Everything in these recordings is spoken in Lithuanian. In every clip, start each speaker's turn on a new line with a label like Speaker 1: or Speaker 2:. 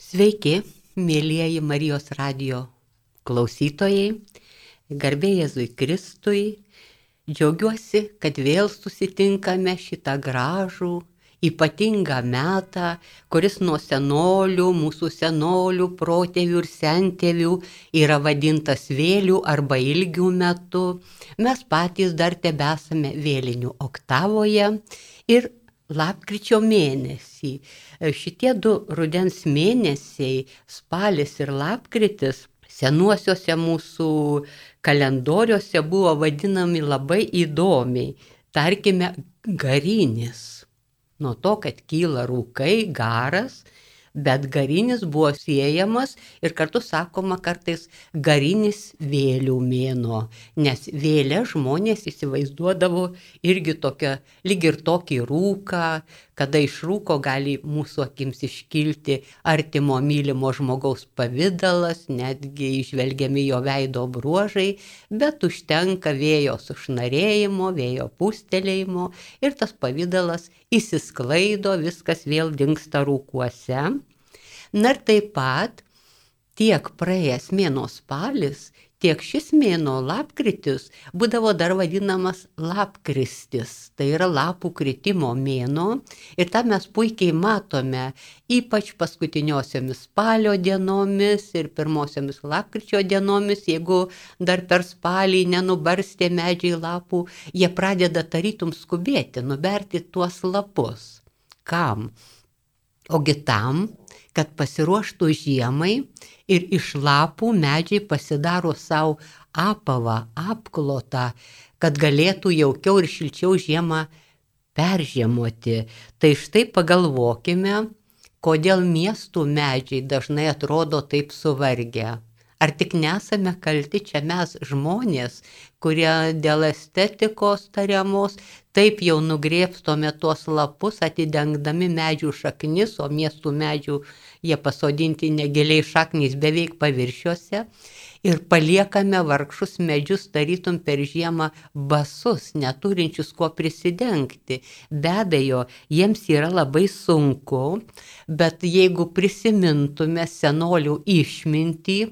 Speaker 1: Sveiki, mėlyjeji Marijos radijo klausytojai, garbė Jėzui Kristui. Džiaugiuosi, kad vėl susitinkame šitą gražų, ypatingą metą, kuris nuo senolių, mūsų senolių, protėvių ir sentėvių yra vadintas vėlių arba ilgių metu. Mes patys dar tebesame vėlinių oktavoje ir lapkričio mėnesį. Šitie du rudens mėnesiai, spalis ir lapkritis, senuosiuose mūsų kalendoriuose buvo vadinami labai įdomiai. Tarkime, garinis. Nuo to, kad kyla rūkai, garas, bet garinis buvo siejamas ir kartu sakoma kartais garinis vėlių mėnuo, nes vėlę žmonės įsivaizduodavo irgi tokią, lyg ir tokį rūką, kada iš rūko gali mūsų akims iškilti artimo mylimo žmogaus pavidalas, netgi išvelgiami jo veido bruožai, bet užtenka vėjo sušnarėjimo, vėjo pūstelėjimo ir tas pavidalas įsisklaido, viskas vėl dingsta rūkuose. Na ir taip pat tiek praėjęs mėnuo spalis, tiek šis mėnuo lapkritis būdavo dar vadinamas lapkristis, tai yra lapų kritimo mėnuo ir tą mes puikiai matome, ypač paskutiniosiomis spalio dienomis ir pirmosiomis lapkričio dienomis, jeigu dar per spalį nenubarstė medžiai lapų, jie pradeda tarytum skubėti, nuberti tuos lapus. Kam? Ogi tam, kad pasiruoštų žiemai ir iš lapų medžiai pasidaro savo apavą, apklotą, kad galėtų jaukiau ir šilčiau žiemą peržiemoti. Tai štai pagalvokime, kodėl miestų medžiai dažnai atrodo taip suvargę. Ar tik nesame kalti čia mes žmonės, kurie dėl estetikos tariamos taip jau nugrėbstome tuos lapus, atidengdami medžių šaknis, o miestų medžių jie pasodinti negiliai šaknys beveik paviršiuose ir paliekame vargšus medžius tarytum per žiemą basus, neturinčius kuo prisidengti. Be abejo, jiems yra labai sunku, bet jeigu prisimintume senolių išmintį,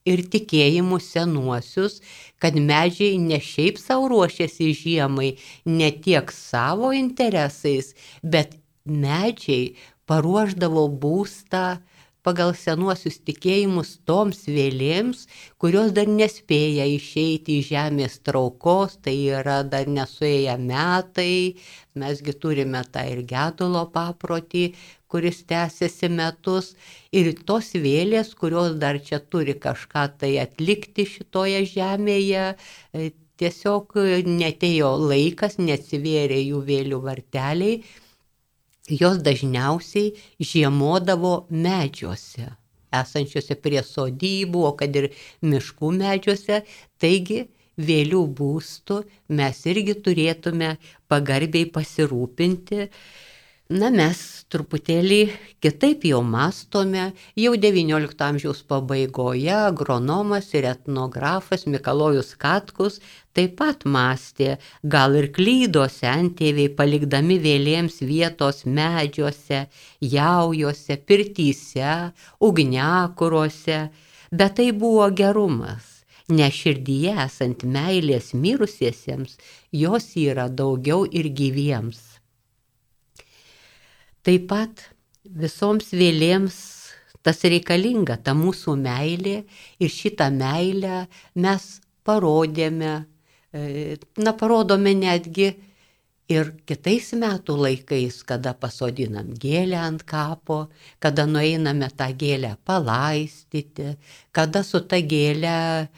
Speaker 1: ir tikėjimų senuosius, kad medžiai ne šiaip savo ruošiasi žiemai, ne tiek savo interesais, bet medžiai paruošdavo būstą pagal senuosius tikėjimus toms vėlėms, kurios dar nespėja išeiti iš žemės traukos, tai yra dar nesuėję metai, mesgi turime tą ir gedulo paprotį, kuris tęsiasi metus, ir tos vėlės, kurios dar čia turi kažką tai atlikti šitoje žemėje, tiesiog netėjo laikas, neatsivėrė jų vėlių varteliai, jos dažniausiai žiemodavo medžiuose, esančiuose prie sodybų, o kad ir miškų medžiuose, taigi vėlių būstų mes irgi turėtume pagarbiai pasirūpinti. Na, mes truputėlį kitaip jau mąstome, jau XIX amžiaus pabaigoje agronomas ir etnografas Mikalojus Katkus taip pat mąstė, gal ir klydo sentėviai, palikdami vėlėms vietos medžiuose, jaujuose, pirtyse, ugniakuruose, bet tai buvo gerumas, nes širdyje esant meilės mirusiesiems, jos yra daugiau ir gyviems. Taip pat visoms vėlėms tas reikalinga, ta mūsų meilė ir šitą meilę mes parodėme, parodome netgi ir kitais metų laikais, kada pasodinam gėlę ant kapo, kada nueiname tą gėlę palaistyti, kada su ta gėlę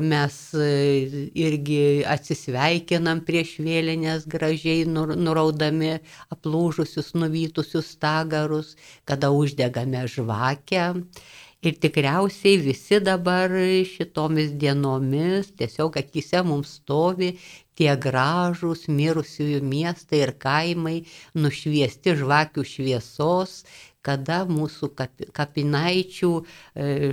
Speaker 1: mes irgi atsisveikinam prieš vėlines gražiai nuraudami aplūžusius, nuvytusius stagarus, kada uždegame žvakę. Ir tikriausiai visi dabar šitomis dienomis tiesiog akyse mums stovi tie gražūs mirusiųjų miestai ir kaimai, nušviesti žvakių šviesos, kada mūsų kapinaičių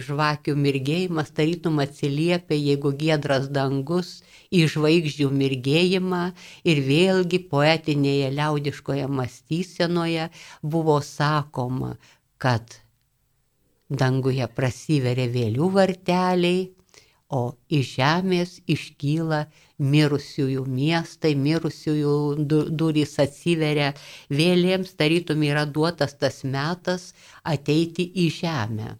Speaker 1: žvakių mirgėjimas tarytum atsiliepia, jeigu giedras dangus, į žvaigždžių mirgėjimą, ir vėlgi poetinėje liaudiškoje mąstysenoje buvo sakoma, kad danguje prasiveria vėlių varteliai, o iš žemės iškyla mirusiųjų miestai, mirusiųjų durys atsiveria, vėlėms tarytum yra duotas tas metas ateiti į žemę,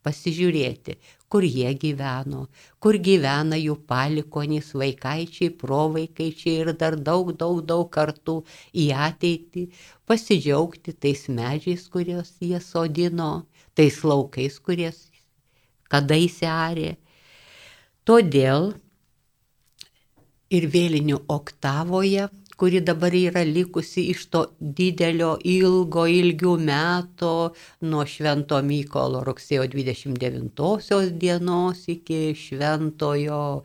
Speaker 1: pasižiūrėti, kur jie gyveno, kur gyvena jų palikuonys, vaikaičiai, provaikaičiai ir dar daug kartų į ateitį, pasidžiaugti tais medžiais, kuriuos jie sodino, tais laukais, kuriais kadaise arė. Todėl ir vėlinių oktavoje, kuri dabar yra likusi iš to didelio ilgių meto nuo Švento Mykolo rugsėjo 29 dienos iki Šventojo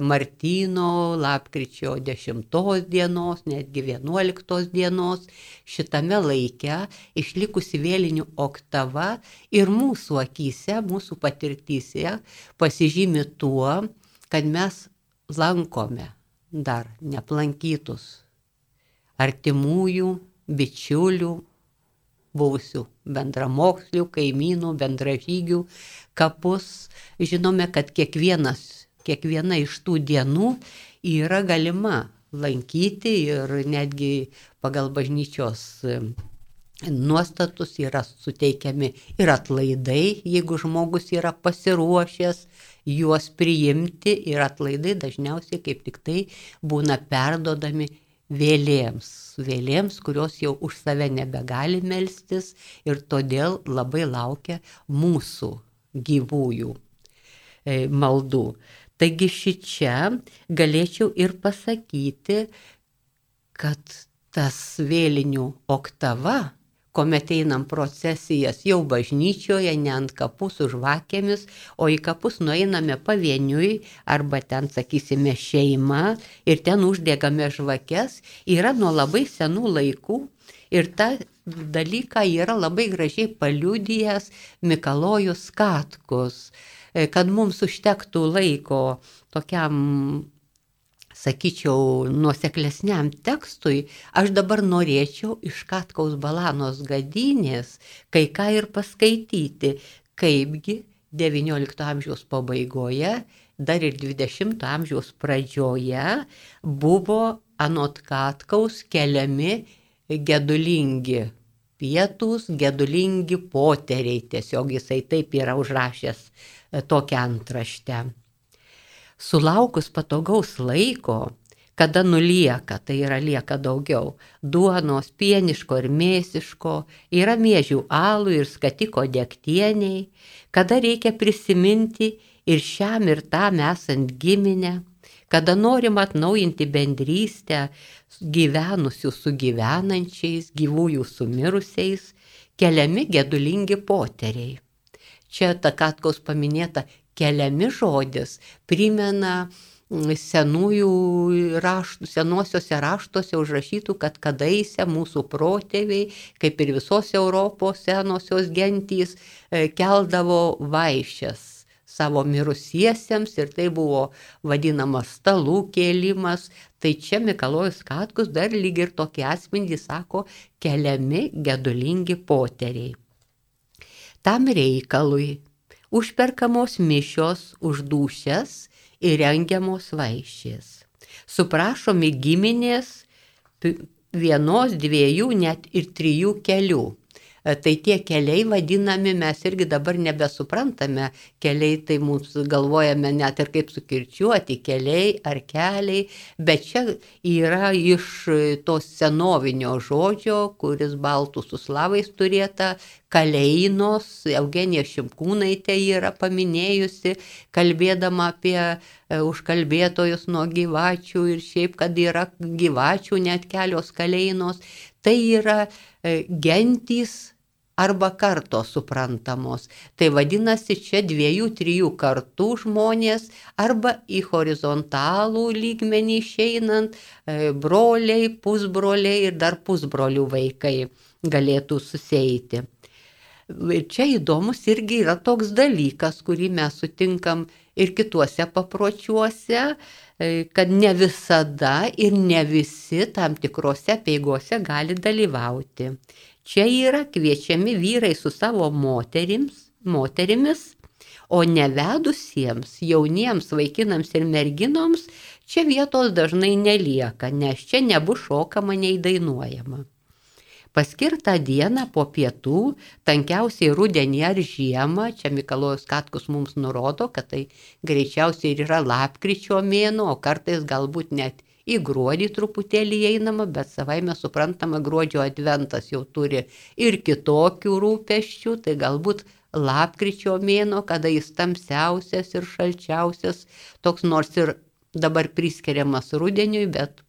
Speaker 1: Martyno lapkričio 10 dienos, netgi 11 dienos, šitame laike išlikusi vėlinių oktava ir mūsų akyse, mūsų patirtyse pasižymi tuo, kad mes lankome dar neaplankytus artimųjų, bičiulių, buvusių bendramokslių, kaimynų, bendražygių kapus. Žinome, kad kiekviena iš tų dienų yra galima lankyti ir netgi pagal bažnyčios nuostatus yra suteikiami ir atlaidai, jeigu žmogus yra pasiruošęs juos priimti, ir atlaidai dažniausiai kaip tik tai būna perdodami vėlėms, kurios jau už save nebegali melstis ir todėl labai laukia mūsų gyvųjų maldų. Taigi šičia galėčiau ir pasakyti, kad tas vėlinių oktava, kuomet einam procesijas jau bažnyčioje, ne ant kapų su žvakėmis, o į kapus nueiname pavieniui arba ten, sakysime, šeima ir ten uždegame žvakes, yra nuo labai senų laikų ir tą dalyką yra labai gražiai paliudijęs Mikalojus Katkus, kad mums užtektų laiko tokiam, sakyčiau, nuoseklesniam tekstui, aš dabar norėčiau iš Katkaus Balanos Gadynės kai ką ir paskaityti, kaipgi XIX amžiaus pabaigoje, dar ir XX amžiaus pradžioje buvo anot Katkaus keliami gedulingi pietūs, gedulingi poteriai, tiesiog jisai taip yra užrašęs tokią antraštę. Sulaukus patogaus laiko, kada nulieka, tai yra lieka daugiau, duonos, pieniško ir mėsiško, yra miežių alų ir skatiko degtieniai, kada reikia prisiminti ir šiam ir tam esant giminę, kada norim atnaujinti bendrystę gyvenusių su gyvenančiais, gyvųjų su mirusiais, keliami gedulingi poteriai. Čia ta Katkaus paminėta keliami žodis primena senuosiuose raštuose užrašytų, kad kadaise mūsų protėviai, kaip ir visos Europos senosios gentys, keldavo vaišes savo mirusiesiems ir tai buvo vadinamas stalų kėlimas. Tai čia Mikalojus Katkus dar lyg ir tokį atspindį sako keliami gedulingi poteriai. Tam reikalui užperkamos mišios už dūšias ir rengiamos vaišės. Suprašomi giminės vienos, dviejų, net ir 3 kelių. Tai tie keliai vadinami, mes irgi dabar nebesuprantame, keliai tai mums galvojame net ir kaip sukirčiuoti, keliai ar keliai, bet čia yra iš to senovinio žodžio, kuris baltų su slavais turėta, kaleinos, Eugenija Šimkūnaitė yra paminėjusi, kalbėdama apie užkalbėtojus nuo gyvačių ir šiaip, kad yra gyvačių net kelios kaleinos, tai yra gentys arba kartos suprantamos. Tai vadinasi, čia 2-3 kartų žmonės arba į horizontalų lygmenį išeinant broliai, pusbroliai ir dar pusbrolių vaikai galėtų susieiti. Čia įdomus irgi yra toks dalykas, kurį mes sutinkam ir kituose papročiuose, kad ne visada ir ne visi tam tikrose apeigose gali dalyvauti. Čia yra kviečiami vyrai su savo moterims, moterimis, o nevedusiems jauniems vaikinams ir merginoms čia vietos dažnai nelieka, nes čia nebus šokama nei dainuojama. Paskirtą dieną po pietų, tankiausiai rudenį ar žiemą, čia Mikalojus Katkus mums nurodo, kad tai greičiausiai ir yra lapkričio mėnuo, o kartais galbūt net į gruodį truputėlį einama, bet savaime suprantama, gruodžio adventas jau turi ir kitokių rūpesčių, tai galbūt lapkričio mėnuo, kada jis tamsiausias ir šalčiausias, toks nors ir dabar priskiriamas rudeniui, bet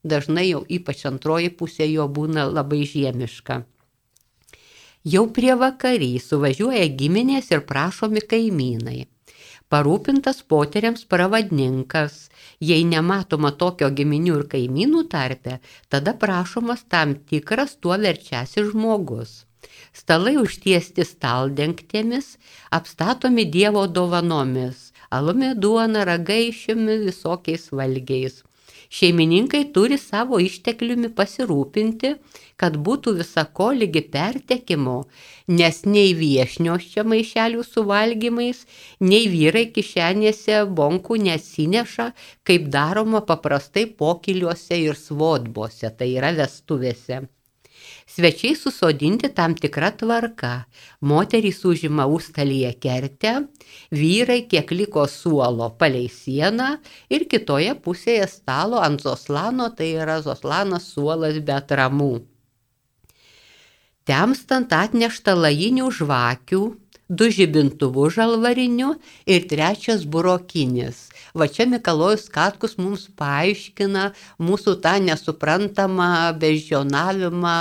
Speaker 1: dažnai jau ypač antroji pusė jo būna labai žiemiška. Jau prie vakarį suvažiuoja giminės ir prašomi kaimynai. Parūpintas poteriams pravadininkas, jei nematoma tokio giminių ir kaimynų tarpe, tada prašomas tam tikras tuo verčiasis žmogus. Stalai užtiesti staldengtėmis, apstatomi Dievo dovanomis, alumi, duona, ragaišiumi, visokiais valgiais. Šeimininkai turi savo ištekliumi pasirūpinti, kad būtų visako lygi pertekimo, nes nei viešnios čia maišelių su valgymais, nei vyrai kišenėse bonkų nesineša, kaip daroma paprastai pokyliuose ir svodbose, tai yra vestuvėse. Svečiai susodinti tam tikra tvarka. Moterys užima užstalyje kertę, vyrai kiek liko suolo palei sieną ir kitoje pusėje stalo ant zoslano, tai yra zoslanas suolas be atramų. Temstant atnešta lajinių žvakių, 2 žibintuvų žalvarinių ir 3 burokinis. Va čia Mikalojus Katkus mums paaiškina mūsų tą nesuprantamą beždžionavimą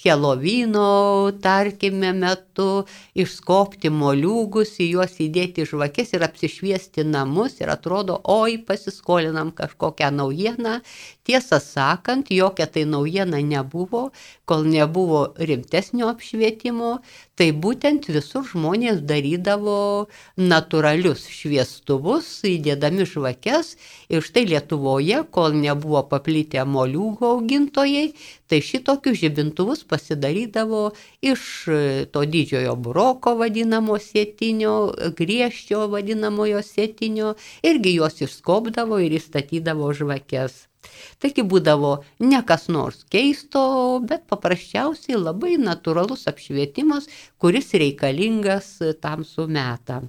Speaker 1: Helovino, tarkime, metu, išskobti moliūgus, į juos įdėti žvakes ir apsišviesti namus ir atrodo, oi, pasiskolinam kažkokią naujieną. Tiesą sakant, jokia tai naujiena nebuvo, kol nebuvo rimtesnio apšvietimo, tai būtent visur žmonės darydavo natūralius šviestuvus, įdėdami žvakes ir štai Lietuvoje, kol nebuvo paplitę moliūgų augintojai, tai šitokius žibintuvus pasidarydavo iš to didžiojo buroko vadinamo sėtinio, griežčio vadinamojo sėtinio, irgi juos išskobdavo ir įstatydavo žvakes. Taigi būdavo ne kas nors keisto, bet paprasčiausiai labai natūralus apšvietimas, kuris reikalingas tamsų metą.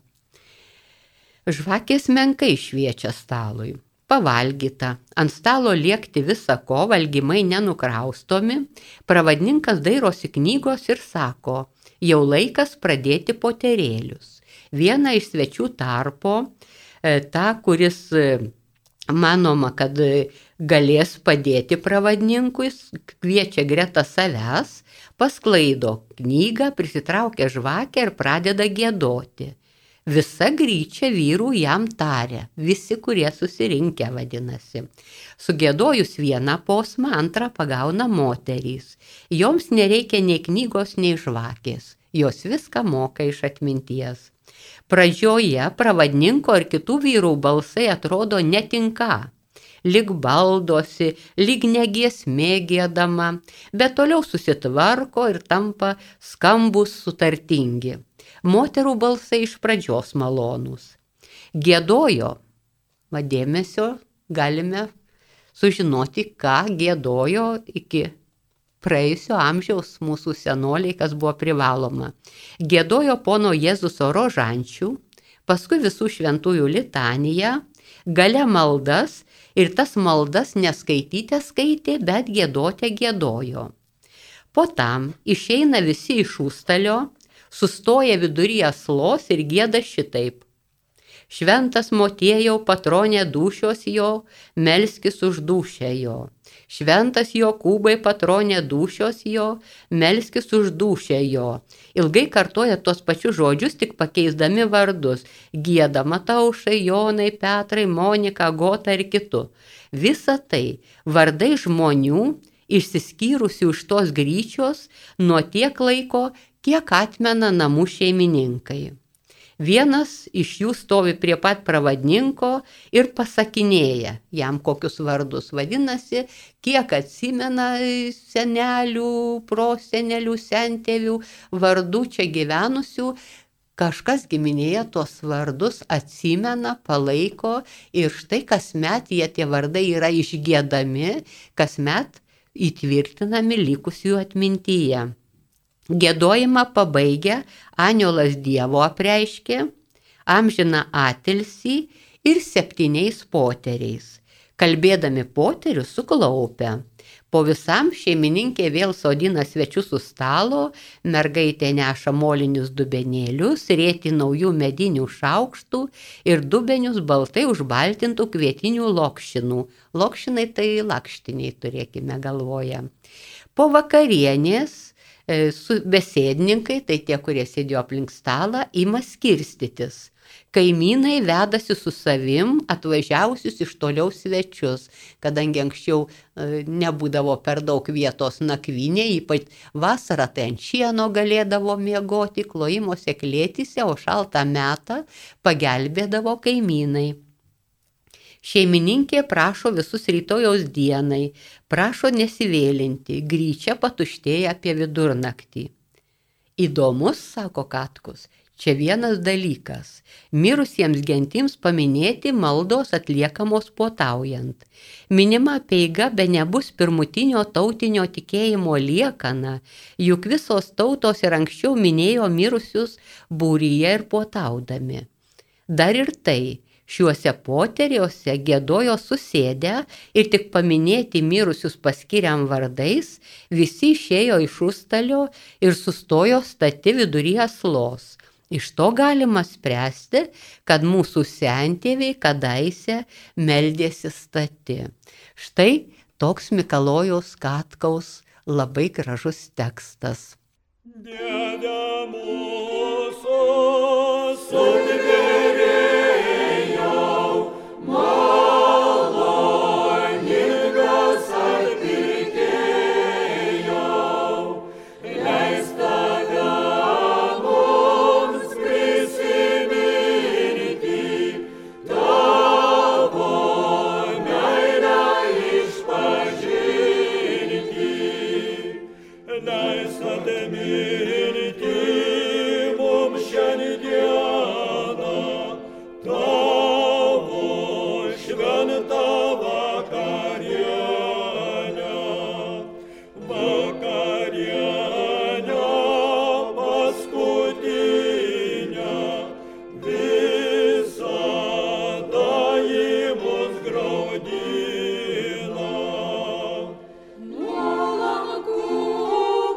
Speaker 1: Žvakės menkai šviečia stalui. Pavalgyta, ant stalo liekti visa ko, valgymai nenukraustomi, pravadininkas dairosi knygos ir sako, jau laikas pradėti poterėlius. Vieną iš svečių tarpo, tą, kuris manoma, kad galės padėti pravadininkui, kviečia greta savęs, pasklaido knygą, prisitraukia žvakę ir pradeda giedoti. Visa gryčia vyrų jam taria, visi, kurie susirinkę vadinasi. Sugiedojus vieną posmą, antrą pagauna moterys. Joms nereikia nei knygos, nei žvakės. Jos viską moka iš atminties. Pradžioje pravadininko ir kitų vyrų balsai atrodo netinka. Lyg baldosi, lyg negiesmė giedama, bet toliau susitvarko ir tampa skambus sutartingi. Moterų balsai iš pradžios malonūs. Giedojo, dėmesio, galime sužinoti, ką giedojo iki praėjusio amžiaus mūsų senoliai, kas buvo privaloma. Giedojo pono Jėzuso rožančių, paskui visų šventųjų litaniją, gale maldas ir tas maldas neskaityti skaitė, bet giedoti giedojo. Po tam išeina visi iš užstalio, sustoja vidury aslos ir gieda šitaip. Šventas motiejau patronė dūšios jo, melskis už dūšią jo. Šventas Jokūbai patronė dūšios jo, melskis už dūšią jo. Ilgai kartoja tuos pačius žodžius, tik pakeisdami vardus. Gieda Mataušai, Jonai, Petrai, Monika, Gota ir kitų. Visa tai vardai žmonių, išsiskyrusių iš tos gryčios nuo tiek laiko, kiek atmena namų šeimininkai. Vienas iš jų stovi prie pat pravadininko ir pasakinėja jam kokius vardus. Vadinasi, kiek atsimena senelių, prosenelių, sentėvių, vardų čia gyvenusių, kažkas giminėje tuos vardus atsimena, palaiko ir štai kasmet tie vardai yra išgiedami, kasmet įtvirtinami likusių atmintyje. Giedojimą pabaigę aniolas Dievo apreiškė, amžiną atilsį ir 7 poteriais. Kalbėdami poterius suklaupę. Po visam šeimininkė vėl sodina svečius su stalo, mergaitė neša molinius dubenėlius, rėti naujų medinių šaukštų ir dubenius baltai užbaltintų kvietinių lokšinų. Lokšinai tai lakštiniai, turėkime galvoje. Po vakarienės besėdininkai, tai tie, kurie sėdėjo aplink stalą, ima skirstytis. Kaimynai vedasi su savim atvažiavusius iš toliau svečius, kadangi anksčiau nebūdavo per daug vietos nakvynė, ypač vasarą tai ant šieno galėdavo miegoti, klojimose klėtyse, o šaltą metą pagelbėdavo kaimynai. Šeimininkė prašo visus rytojaus dienai, prašo nesivėlinti, gryčia patuštėja apie vidurnaktį. Įdomus, sako Katkus, čia vienas dalykas – mirusiems gentims paminėti maldos atliekamos puotaujant. Minima apeiga be nebus pirmutinio tautinio tikėjimo liekana, juk visos tautos ir anksčiau minėjo mirusius būryje ir puotaudami. Dar ir tai, šiuose poteriuose giedojo susėdę ir tik paminėti mirusius paskiriam vardais, visi išėjo iš užstalio ir sustojo stati vidury aslos. Iš to galima spręsti, kad mūsų sentėviai kadaise meldėsi stati. Štai toks Mikalojaus Katkaus labai gražus tekstas. Dieve mūsų sudvėrėjau, maloningas atpirkėjau, leis tave mums prisiminti, tavo meilę išpažinti, leis atminti mums šiandieną tavo šventą vakarienę, vakarienę paskutinę, visada ji mus graudina. Nuolankumo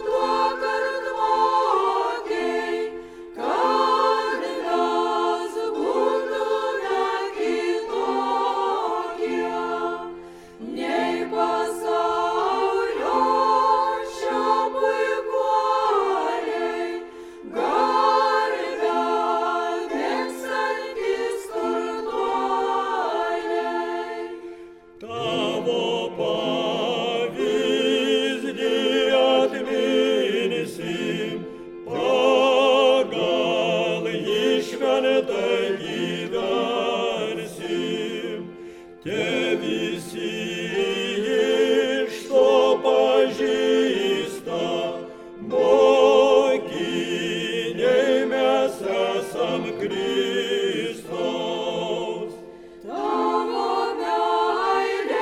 Speaker 1: duok artmokiai, kad mes būtume kitokie, nei pasaulio šiapuikuoliai, garbę mėgstantys turtuoliai. Tavo pavyzdį atminsim, pagal jį šventai gyvensim. Te visi iš to pažįsta, mokiniai mes esam Kristaus. Tavo meilės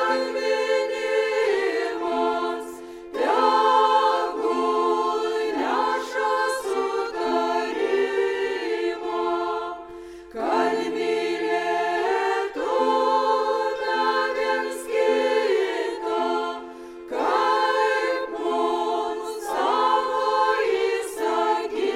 Speaker 1: atminimas tegul neša sutarimą, kad mylėtume viens kitą, kaip mums savo įsakyta.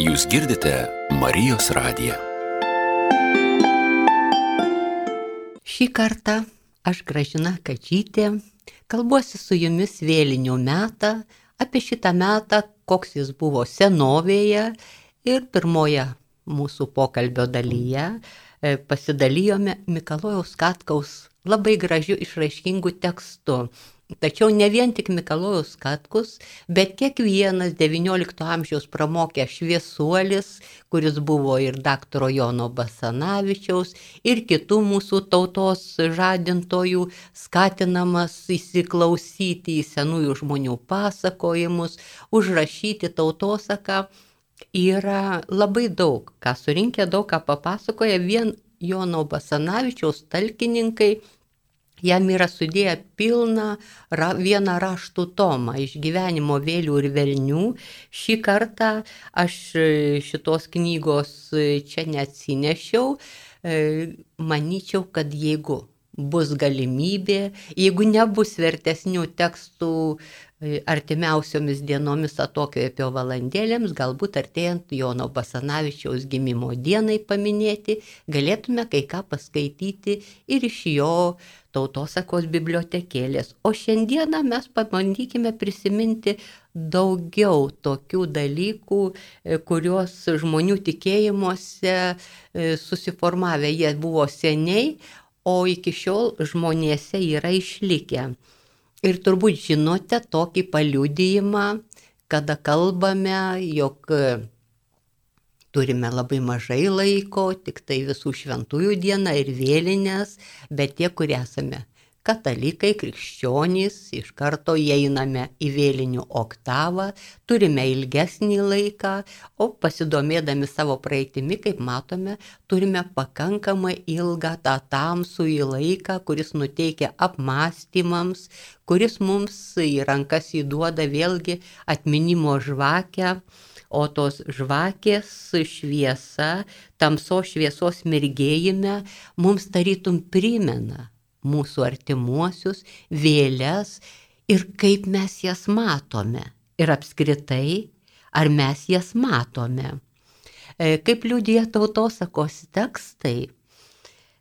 Speaker 2: Jūs girdite Marijos radiją.
Speaker 1: Šį kartą aš Gražina Kadžytė kalbuosi su jumis vėlinių metą, apie šitą metą, koks jis buvo senovėje, ir pirmoje mūsų pokalbio dalyje pasidalijome Mikalojaus Katkaus labai gražiu išraiškingu tekstu. Tačiau ne vien tik Mikalojaus Katkus, bet kiekvienas XIX amžiaus pramokęs šviesuolis, kuris buvo ir daktaro Jono Basanavičiaus, ir kitų mūsų tautos žadintojų, skatinamas įsiklausyti į senųjų žmonių pasakojimus, užrašyti tautosaką, yra labai daug, ką surinkę, daug ką papasakoja vien Jono Basanavičiaus talkininkai. Jam yra sudėję pilną vieną raštų tomą iš gyvenimo vėlių ir velnių. Šį kartą aš šitos knygos čia neatsinešiau. Manyčiau, kad jeigu bus galimybė, jeigu nebus vertesnių tekstų artimiausiomis dienomis atokvėpio valandėlėms, galbūt artėjant Jono Basanavičiaus gimimo dienai paminėti, galėtume kai ką paskaityti ir iš jo tautosakos bibliotekėlės. O šiandieną mes pabandykime prisiminti daugiau tokių dalykų, kuriuos žmonių tikėjimuose susiformavę. Jie buvo seniai, o iki šiol žmonėse yra išlikę. Ir turbūt žinote tokį paliudijimą, kada kalbame, jog turime labai mažai laiko, tik tai visų šventųjų diena ir vėlinės, bet tie, kurie esame katalikai, krikščionys, iš karto įeiname į vėlinių oktavą, turime ilgesnį laiką, o pasidomėdami savo praeitimi, kaip matome, turime pakankamai ilgą tą tamsųjį laiką, kuris nuteikia apmąstymams, kuris mums į rankas įduoda vėlgi atminimo žvakę, o tos žvakės šviesa, tamsos šviesos mirgėjime mums tarytum primena mūsų artimuosius, vėles ir kaip mes jas matome. Ir apskritai, ar mes jas matome. Kaip liudija tautosakos tekstai,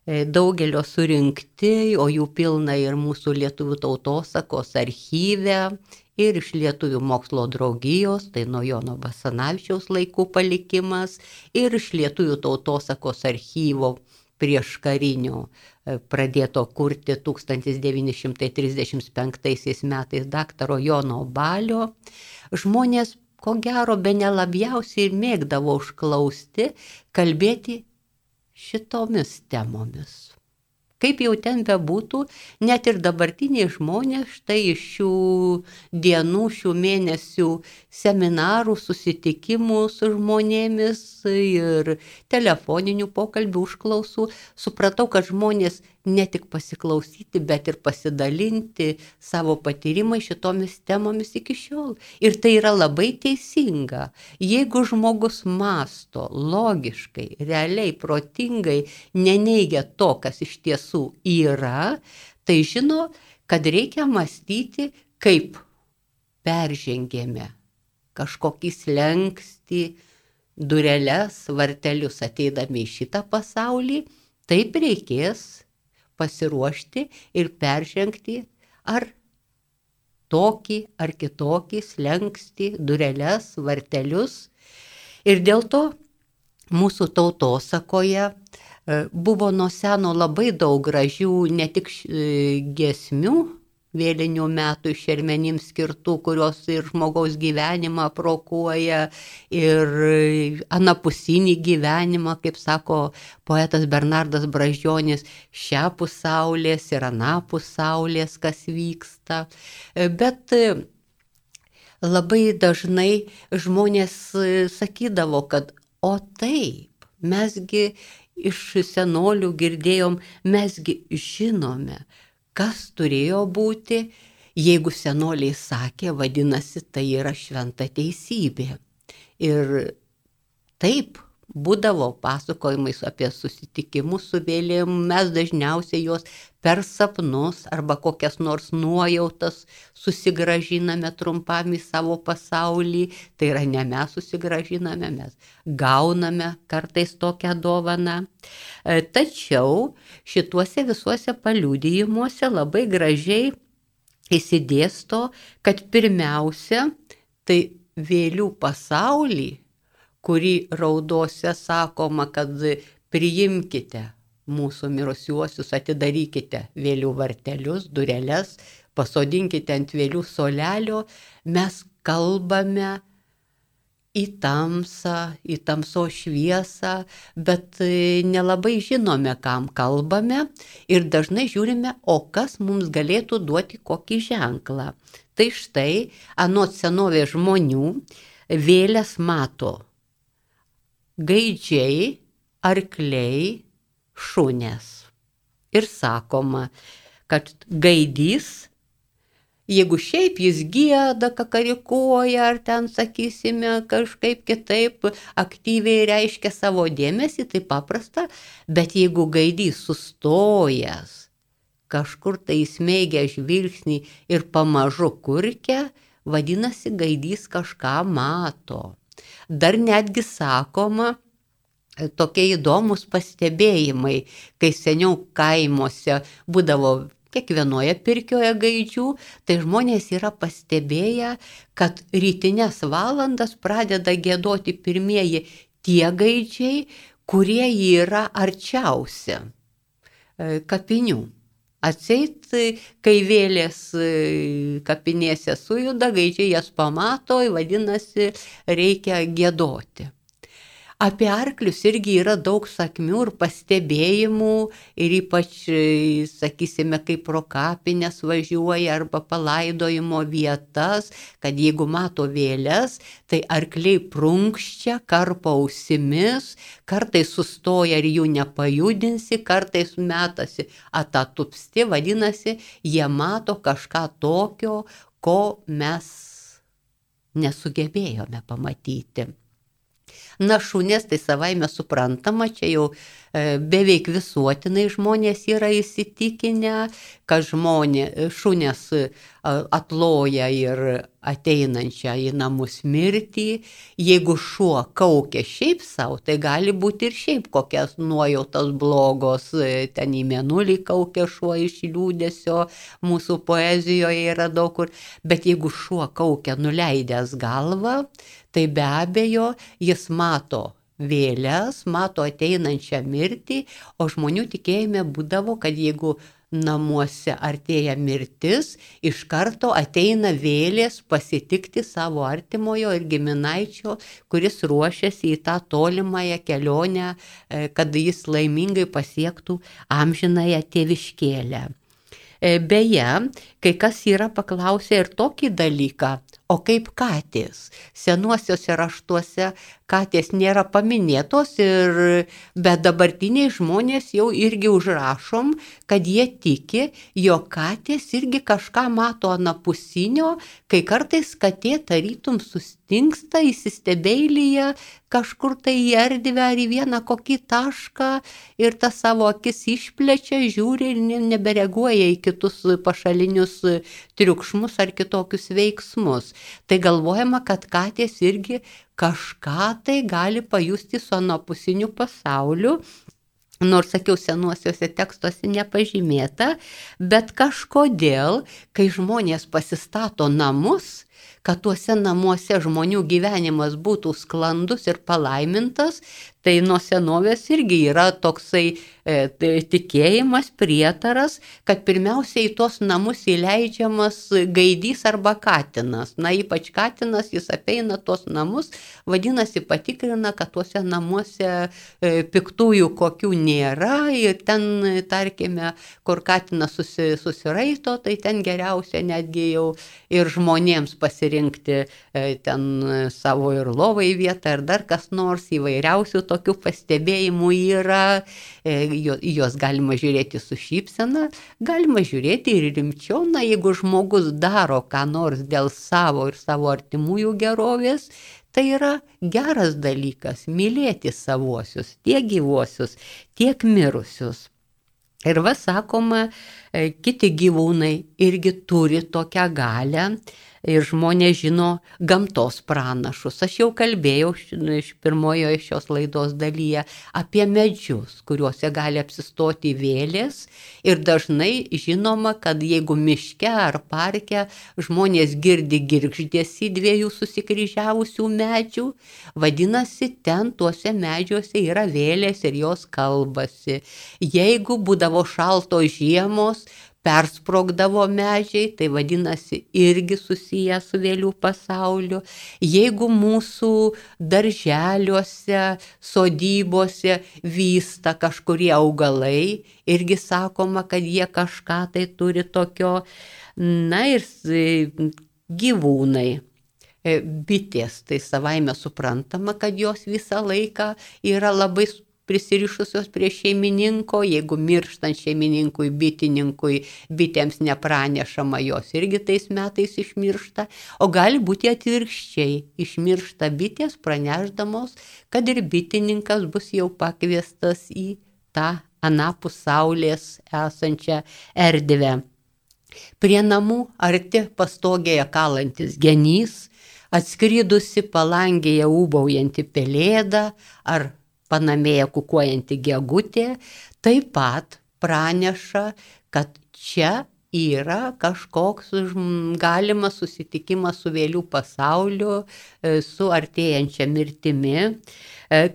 Speaker 1: daugelio surinkti, o jų pilna ir mūsų lietuvių tautosakos archyve, ir iš Lietuvių mokslo draugijos, tai nuo Jono Basanavičiaus laikų palikimas, ir iš Lietuvių tautosakos archyvo prieš karinio pradėto kurti 1935 metais daktaro Jono Balio. Žmonės, ko gero, bene labiausiai ir mėgdavo užklausti, kalbėti šitomis temomis. Kaip jau ten bebūtų, net ir dabartiniai žmonės štai iš šių dienų, šių mėnesių seminarų, susitikimų su žmonėmis ir telefoninių pokalbių užklausų, supratau, kad žmonės ne tik pasiklausyti, bet ir pasidalinti savo patyrimai šitomis temomis iki šiol. Ir tai yra labai teisinga. Jeigu žmogus mąsto logiškai, realiai, protingai, neneigia to, kas iš tiesų yra, tai žino, kad reikia mąstyti, kaip peržengėme kažkokį slenkstį, dureles, vartelius ateidami į šitą pasaulį, taip reikės pasiruošti ir peržengti ar tokį, ar kitokį slenkstį, dureles, vartelius. Ir dėl to mūsų tautosakoje buvo nuo seno labai daug gražių ne tik giesmių vėlinių metų šermenims skirtų, kurios ir žmogaus gyvenimą prokuoja, ir anapusinį gyvenimą, kaip sako poetas Bernardas Brazdžionis, šiapus saulės ir anapus saulės, kas vyksta. Bet labai dažnai žmonės sakydavo, kad o taip, mesgi iš senolių girdėjom, mesgi žinome, kas turėjo būti. Jeigu senoliai sakė, vadinasi, tai yra šventa teisybė. Ir taip būdavo pasakojimais apie susitikimus su vėlėm, mes dažniausiai juos per sapnus arba kokias nors nuojautas susigražiname trumpam į savo pasaulį. Tai yra ne mes susigražiname, mes gauname kartais tokią dovaną. Tačiau šituose visuose paliudijimuose labai gražiai įsidėsto, kad pirmiausia, tai vėlių pasaulį, kurį raudose sakoma, kad priimkite mūsų mirusiuosius, atidarykite vėlių vartelius, dureles, pasodinkite ant vėlių solelio, mes kalbame į tamsą, į tamso šviesą, bet nelabai žinome, kam kalbame ir dažnai žiūrime, o kas mums galėtų duoti kokį ženklą. Tai štai, anot senovės žmonių, vėles mato gaidžiai, arkliai, šunės. Ir sakoma, kad gaidys, jeigu šiaip jis gieda, kakarikuoja, ar ten, sakysime, kažkaip kitaip aktyviai reiškia savo dėmesį, tai paprasta, bet jeigu gaidys sustojęs, kažkur tai įsmeigia žvilgsnį ir pamažu kurkia, vadinasi, gaidys kažką mato. Dar netgi sakoma, tokie įdomus pastebėjimai, kai seniau kaimuose būdavo kiekvienoje pirkioje gaidžių, tai žmonės yra pastebėję, kad rytinės valandas pradeda giedoti pirmieji tie gaidžiai, kurie yra arčiausia kapinių. Atseit, kai vėlės kapinėse sujuda, gaidžiai jas pamato, vadinasi, reikia giedoti. Apie arklius irgi yra daug sakmių ir pastebėjimų ir ypač, sakysime, kai pro kapines važiuoja arba palaidojimo vietas, kad jeigu mato vėles, tai arkliai prunkščia, karpo ausimis, kartais sustoja ir jų nepajudinsi, kartais metasi atatupsti, vadinasi, jie mato kažką tokio, ko mes nesugebėjome pamatyti. Na, šunės tai savaime suprantama, čia jau beveik visuotinai žmonės yra įsitikinę, kad šunės atloja ir ateinančią į namus mirtį. Jeigu šuo kaukia šiaip savo, tai gali būti ir šiaip kokias nuojautas blogos, ten į mėnulį kaukia šuo iš liūdesio, mūsų poezijoje yra daug kur, bet jeigu šuo kaukia nuleidęs galvą, tai be abejo jis mato vėles, mato ateinančią mirtį, o žmonių tikėjime būdavo, kad jeigu namuose artėja mirtis, iš karto ateina vėlės pasitikti savo artimojo ir giminaičio, kuris ruošiasi į tą tolimąją kelionę, kad jis laimingai pasiektų amžinąją tėviškėlę. Beje, kai kas yra paklausę ir tokį dalyką, o kaip katės? Senuosiuose raštuose katės nėra paminėtos, bet dabartiniai žmonės jau irgi užrašom, kad jie tiki, jog katės irgi kažką mato anapusinio, kai kartais katė tarytum sustingsta įsistebeilyje kažkur tai į erdvę ar į vieną kokį tašką ir tą savo akis išplečia, žiūri ir nebereaguoja į kitus pašalinius triukšmus ar kitokius veiksmus. tai galvojama, kad katės irgi kažką tai gali pajusti su anapusiniu pasauliu. Nors, sakiau, senuosiuose tekstuose nepažymėta, bet kažkodėl, kai žmonės pasistato namus, kad tuose namuose žmonių gyvenimas būtų sklandus ir palaimintas, tai nuo senovės irgi yra toksai tikėjimas, prietaras, kad pirmiausiai į tos namus įleidžiamas gaidys arba katinas. Na, ypač katinas, jis apeina tos namus, vadinasi, patikrina, kad tuose namuose piktųjų kokių nėra ir ten, tarkime, kur katinas susiraito, tai ten geriausia netgi jau ir žmonėms pasirinkti ten savo ir lovai vietą ir dar kas nors, įvairiausių tokių pastebėjimų yra. Juos galima žiūrėti su šypsena, galima žiūrėti ir rimčiau. Na, jeigu žmogus daro ką nors dėl savo ir savo artimųjų gerovės, tai yra geras dalykas mylėti savuosius, tiek gyvuosius, tiek mirusius. Ir sakoma, kiti gyvūnai irgi turi tokią galią. Ir žmonės žino gamtos pranašus. Aš jau kalbėjau pirmojoje šios laidos dalyje apie medžius, kuriuose gali apsistoti vėlės. Ir dažnai žinoma, kad jeigu miške ar parke žmonės girdi girgždesį dviejų susikryžiavusių medžių, vadinasi, ten tuose medžiuose yra vėlės ir jos kalbasi. Jeigu būdavo šaltos žiemos, persprogdavo medžiai, tai vadinasi irgi susiję su vėlių pasauliu. Jeigu mūsų darželiuose, sodybose vysta kažkurie augalai, irgi sakoma, kad jie kažką tai turi tokio. Na ir gyvūnai. Bitės, tai savaime suprantama, kad jos visą laiką yra labai prisirišusios prie šeimininko, jeigu mirštant šeimininkui, bitininkui, bitėms nepranešama, jos irgi tais metais išmiršta, o gali būti atvirkščiai, išmiršta bitės pranešdamos, kad ir bitininkas bus jau pakviestas į tą anapus saulės esančią erdvę. Prie namų arti pastogėje kalantis genys, atskridusi palangėje ūbaujanti pelėda ar panamėje kukuojanti gegutė, taip pat praneša, kad čia yra kažkoks galimas susitikimas su vėlių pasauliu, su artėjančia mirtimi.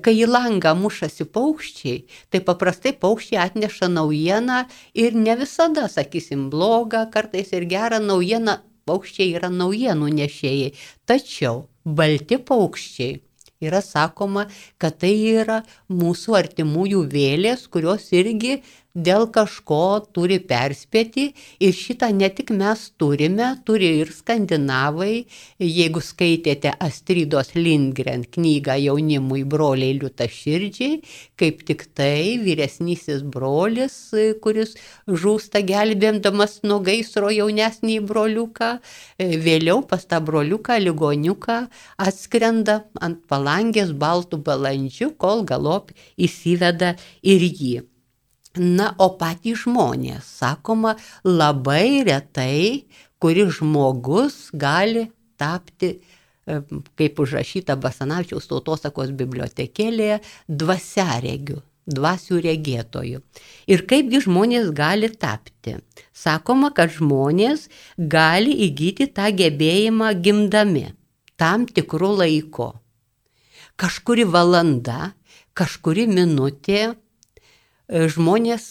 Speaker 1: Kai į langą mušasi paukščiai, tai paprastai paukščiai atneša naujieną ir ne visada, sakysim, blogą, kartais ir gerą naujieną, paukščiai yra naujienų nešėjai. Tačiau balti paukščiai yra sakoma, kad tai yra mūsų artimųjų vėlės, kurios irgi dėl kažko turi perspėti ir šitą ne tik mes turime, turi ir skandinavai. Jeigu skaitėte Astridos Lindgren knygą jaunimui broliai liūtaširdžiai, kaip tik tai vyresnysis brolis, kuris žūsta gelbėdamas nuo gaisro jaunesnį broliuką, vėliau pas tą broliuką ligoniuką atskrenda ant palangės baltų balandžių, kol galop įsiveda ir jį. Na, o patys žmonės, sakoma, labai retai, kuris žmogus gali tapti, kaip užrašyta Basanavičiaus tautosakos bibliotekėlėje, dvasiaregiu, dvasių regėtojų. Ir kaipgi žmonės gali tapti? Sakoma, kad žmonės gali įgyti tą gebėjimą gimdami tam tikrų laiko. Kažkuri valanda, kažkuri minutė, žmonės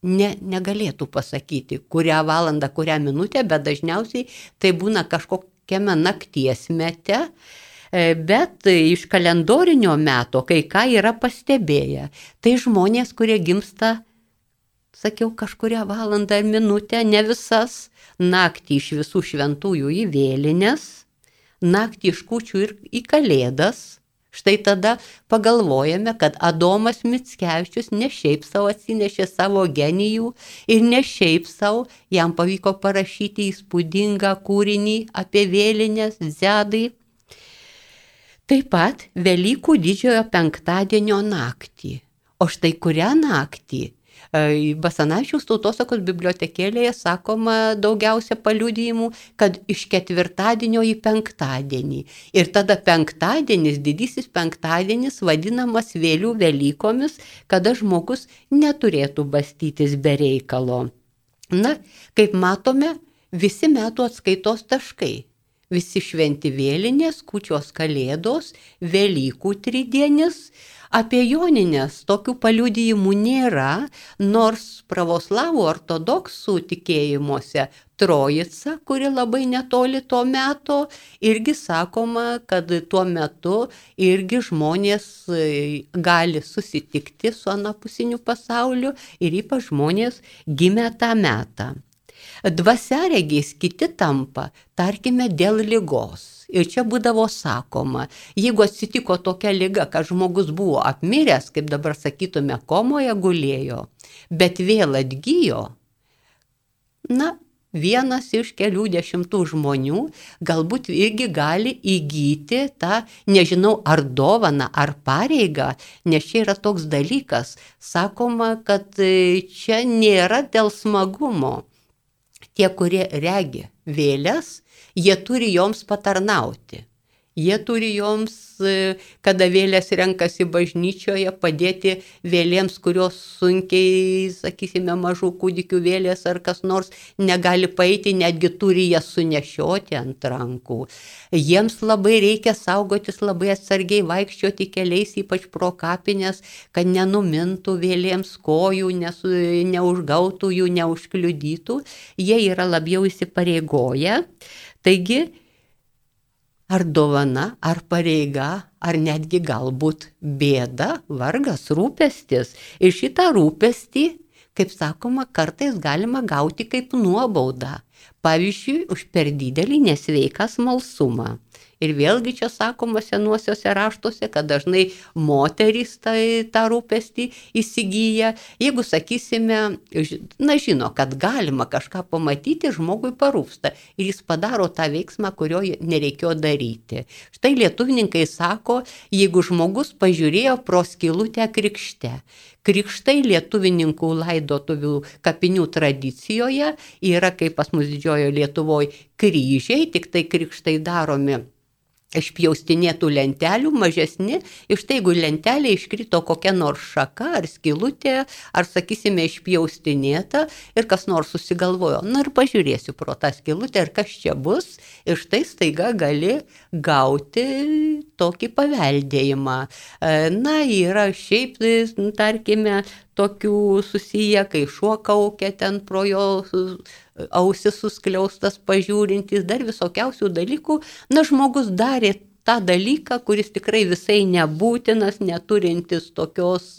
Speaker 1: negalėtų pasakyti, kurią valandą, kurią minutę, bet dažniausiai tai būna kažkokiame nakties mete, bet iš kalendorinio meto kai ką yra pastebėję. Tai žmonės, kurie gimsta, sakiau, kažkurią valandą ar minutę, ne visas, naktį iš visų šventųjų į vėlines, naktį iš kūčių ir į kalėdas. Štai tada pagalvojame, kad Adomas Mickevičius ne šiaip savo atsinešė savo genijų ir ne šiaip savo jam pavyko parašyti įspūdingą kūrinį apie vėlines Zedai. Taip pat Velykų didžiojo penktadienio naktį. O štai kurią naktį? Basanavičiaus tautosakos bibliotekėlėje sakoma daugiausia paliudijimų, kad iš ketvirtadienio į penktadienį. Ir tada penktadienis, didysis penktadienis vadinamas vėlių Velykomis, kada žmogus neturėtų bastytis be reikalo. Na, kaip matome, visi metų atskaitos taškai. Visi šventi vėlinės, kūčios kalėdos, Velykų tridienis. Apie Jonines tokių paliudijimų nėra, nors pravoslavų ortodoksų tikėjimuose Trojica, kuri labai netoli to meto, irgi sakoma, kad tuo metu irgi žmonės gali susitikti su anapusiniu pasauliu ir ypač žmonės gimę tą metą. Dvasiaregiais kiti tampa, tarkime, dėl ligos. Ir čia būdavo sakoma, jeigu atsitiko tokia liga, kad žmogus buvo apmiręs, kaip dabar sakytume, komoje gulėjo, bet vėl atgyjo, na, vienas iš kelių dešimtų žmonių galbūt irgi gali įgyti tą, nežinau, ar dovaną, ar pareigą, nes čia yra toks dalykas, sakoma, kad čia nėra dėl smagumo. Tie, kurie regi vėles, jie turi joms patarnauti. Jie turi joms, kada vėlės renkasi bažnyčioje, padėti vėlėms, kurios sunkiai, sakysime, mažų kūdikių vėlės ar kas nors negali paeiti, netgi turi jas sunešioti ant rankų. Jiems labai reikia saugotis, labai atsargiai vaikščioti keliais, ypač pro kapines, kad nenumintų vėlėms kojų, neužgautų jų, neužkliudytų. Jie yra labiau įsipareigoję. Taigi, ar dovana, ar pareiga, ar netgi galbūt bėda, vargas, rūpestis. Ir šitą rūpestį, kaip sakoma, kartais galima gauti kaip nuobaudą. Pavyzdžiui, už per didelį nesveiką smalsumą. Ir vėlgi čia sakoma senuosiuose raštuose, kad dažnai moterys tą rūpestį įsigyja. Jeigu, sakysime, žino, kad galima kažką pamatyti, žmogui parūpsta. Ir jis padaro tą veiksmą, kurio nereikėjo daryti. Štai lietuvininkai sako, jeigu žmogus pažiūrėjo pro skylutę krikšte. Krikštai lietuvininkų laidotuvių kapinių tradicijoje yra, kaip pas mus Didžiojoje Lietuvoje, kryžiai, tik tai krikštai daromi iš pjaustinėtų lentelių, mažesni, iš tai, jeigu lentelė iškrito kokia nors šaka ar skylutė, ar, sakysime, išpjaustinėta ir kas nors susigalvojo, na ir pažiūrėsiu pro tą skylutę ir kas čia bus, ir štai staiga gali gauti tokį paveldėjimą. Na, yra šiaip, tarkime, tokių susiję, kai šuo kaukia ten pro jo ausis suskliaustas pažiūrintis, dar visokiausių dalykų. Na, žmogus darė tą dalyką, kuris tikrai visai nebūtinas, neturintis tokios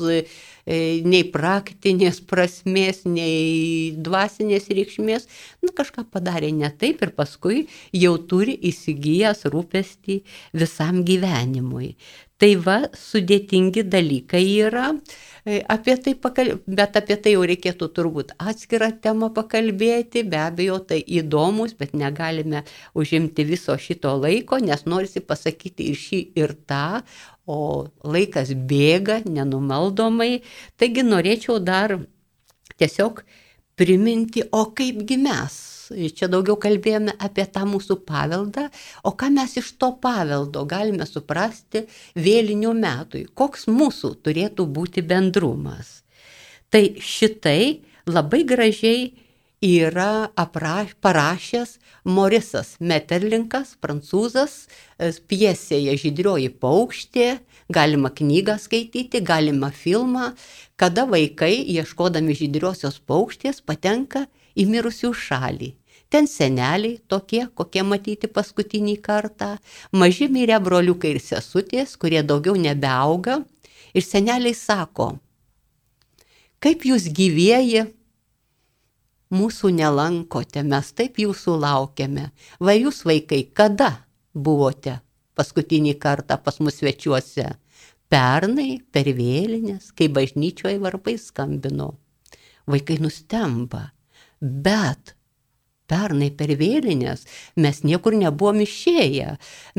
Speaker 1: nei praktinės prasmės, nei dvasinės reikšmės. Na, kažką padarė ne taip ir paskui jau turi įsigijęs rūpestį visam gyvenimui. Tai va, sudėtingi dalykai yra, bet apie tai jau reikėtų turbūt atskirą temą pakalbėti, be abejo tai įdomus, bet negalime užimti viso šito laiko, nes norisi pasakyti ir šį ir tą, o laikas bėga nenumaldomai, taigi norėčiau dar tiesiog priminti, o kaipgi mes. Čia daugiau kalbėjome apie tą mūsų paveldą, o ką mes iš to paveldo galime suprasti vėlinių metui, koks mūsų turėtų būti bendrumas. Tai šitai labai gražiai yra parašęs Morisas Meterlinkas, prancūzas, pjesėje Žydrioji paukštė, galima knygą skaityti, galima filmą, kada vaikai, ieškodami žydriosios paukštės, patenka į mirusių šalį. Ten seneliai tokie, kokie matyti paskutinį kartą, maži mirę broliukai ir sesutės, kurie daugiau nebeauga. Ir seneliai sako, kaip jūs gyvieji mūsų nelankote, mes taip jūsų laukiame. Va jūs, vaikai, kada buvote paskutinį kartą pas mus svečiuose? Pernai per vėlinės, kai bažnyčioje varpai skambino. Vaikai nustemba. Bet pernai per vėlinės mes niekur nebuvom išėję.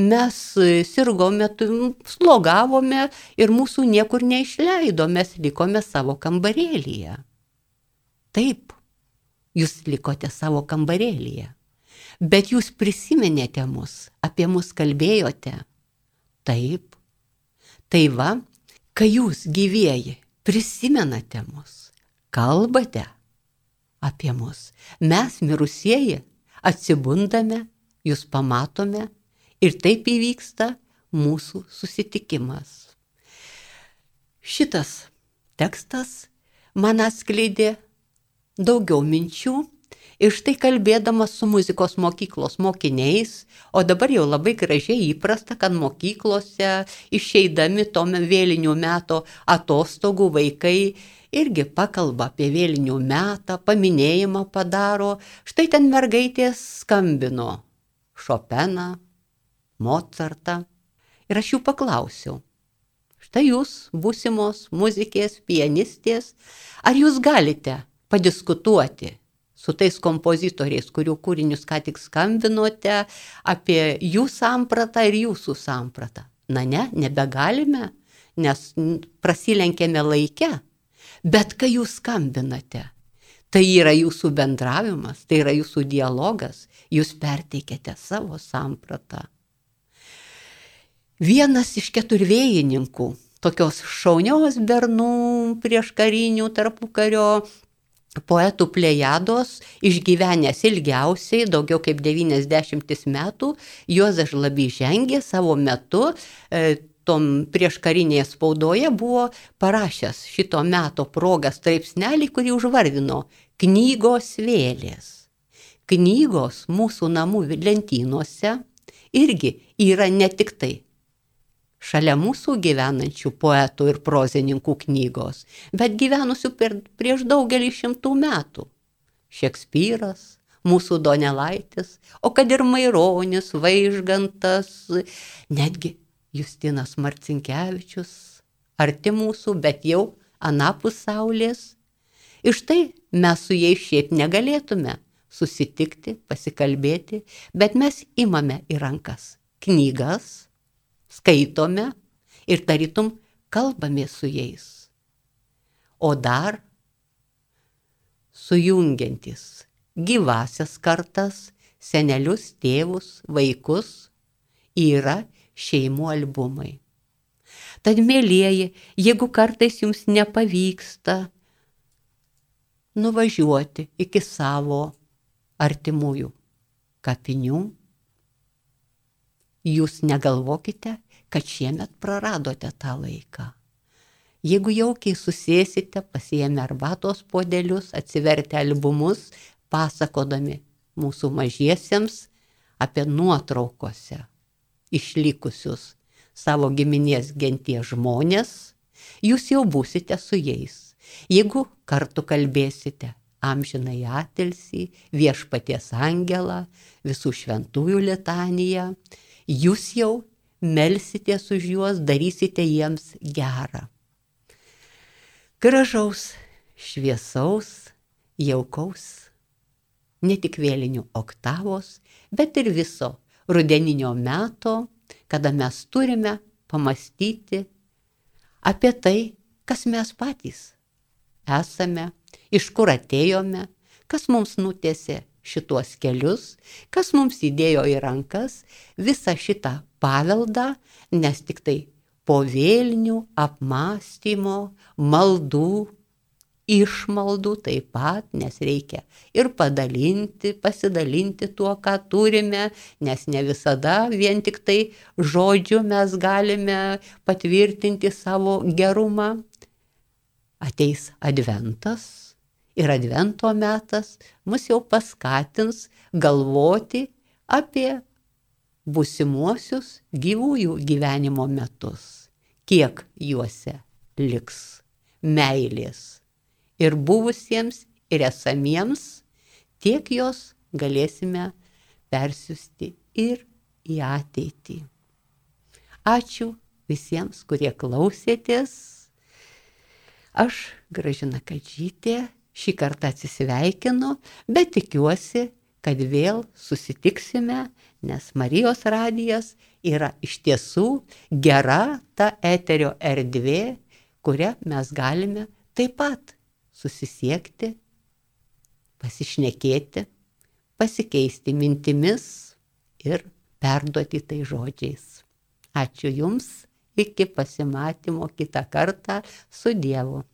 Speaker 1: Mes sirgome, slogavome ir mūsų niekur neišleido, mes likome savo kambarėlyje. Taip, jūs likote savo kambarėlyje, bet jūs prisiminėte mus, apie mus kalbėjote. Taip. Tai va, kai jūs gyvieji prisimenate mus, kalbate apie mus, mes mirusieji atsibundame, jūs pamatome ir taip įvyksta mūsų susitikimas. Šitas tekstas man atskleidė daugiau minčių ir štai kalbėdamas su muzikos mokyklos mokiniais, o dabar jau labai gražiai įprasta, kad mokyklose išeidami tom vėlinių meto atostogų vaikai irgi pakalba apie vėlinių metą, paminėjimą padaro. Štai ten mergaitės skambino Šopeną, Mocartą ir aš jų paklausiau. Štai jūs, būsimos muzikės, pianistės, ar jūs galite padiskutuoti su tais kompozitoriais, kurių kūrinius ką tik skambinote, apie jų sampratą ir jūsų sampratą? Na ne, nebegalime, nes prasilenkėme laike, bet kai jūs skambinate, tai yra jūsų bendravimas, tai yra jūsų dialogas, jūs perteikėte savo sampratą. Vienas iš keturvėjininkų, tokios šaunios bernų prieškarinių tarpukario poetų plejados, išgyvenęs ilgiausiai, daugiau kaip 90 metų, Juozas Žlabys žengė savo metu, tom prieškarinėje spaudoje buvo parašęs šito meto progą straipsnelį, kurį užvardino knygos vėlės. Knygos mūsų namų lentynose irgi yra ne tik tai šalia mūsų gyvenančių poetų ir prozininkų knygos, bet gyvenusių prieš daugelį šimtų metų. Šekspyras, mūsų Donelaitis, o kad ir Maironis, Vaižgantas, netgi Justinas Marcinkevičius, arti mūsų, bet jau anapus saulės. Ir štai mes su jais šiaip negalėtume susitikti, pasikalbėti, bet mes imame į rankas knygas, skaitome ir tarytum kalbame su jais. O dar sujungiantis gyvasias kartas, senelius, tėvus, vaikus, yra šeimų albumai. Tad, mielieji, jeigu kartais jums nepavyksta nuvažiuoti iki savo artimųjų kapinių, jūs negalvokite, kad šiemet praradote tą laiką. Jeigu jaukiai susėsite, pasiėmę arbatos puodelius, atsivertę albumus, pasakodami mūsų mažiesiems apie nuotraukose išlikusius savo giminės genties žmonės, jūs jau būsite su jais. Jeigu kartu kalbėsite amžinai atilsį, Viešpaties angelą, visų šventųjų litaniją, jūs jau melsitės už juos, darysite jiems gerą. Gražaus, šviesaus, jaukaus, ne tik vėlinių oktavos, bet ir viso rudeninio meto, kada mes turime pamastyti apie tai, kas mes patys esame, iš kur atėjome, kas mums nutiesė šituos kelius, kas mums įdėjo į rankas visą šitą paveldą, nes tik tai po vėlinių apmąstymo, maldų, išmaldų taip pat, nes reikia ir padalinti, pasidalinti tuo, ką turime, nes ne visada vien tik tai žodžiu mes galime patvirtinti savo gerumą. Ateis adventas ir advento metas mus jau paskatins galvoti apie būsimuosius gyvųjų gyvenimo metus, kiek juose liks meilės ir buvusiems, ir esamiems, tiek jos galėsime persiųsti ir į ateitį. Ačiū visiems, kurie klausėtės. Aš, Gražina Kadžytė, šį kartą atsisveikinu, bet tikiuosi, kad vėl susitiksime, nes Marijos radijas yra iš tiesų gera ta eterio erdvė, kurią mes galime taip pat susisiekti pasišnekėti, pasikeisti mintimis ir perduoti tai žodžiais. Ačiū Jums, iki pasimatymo kitą kartą, su Dievu.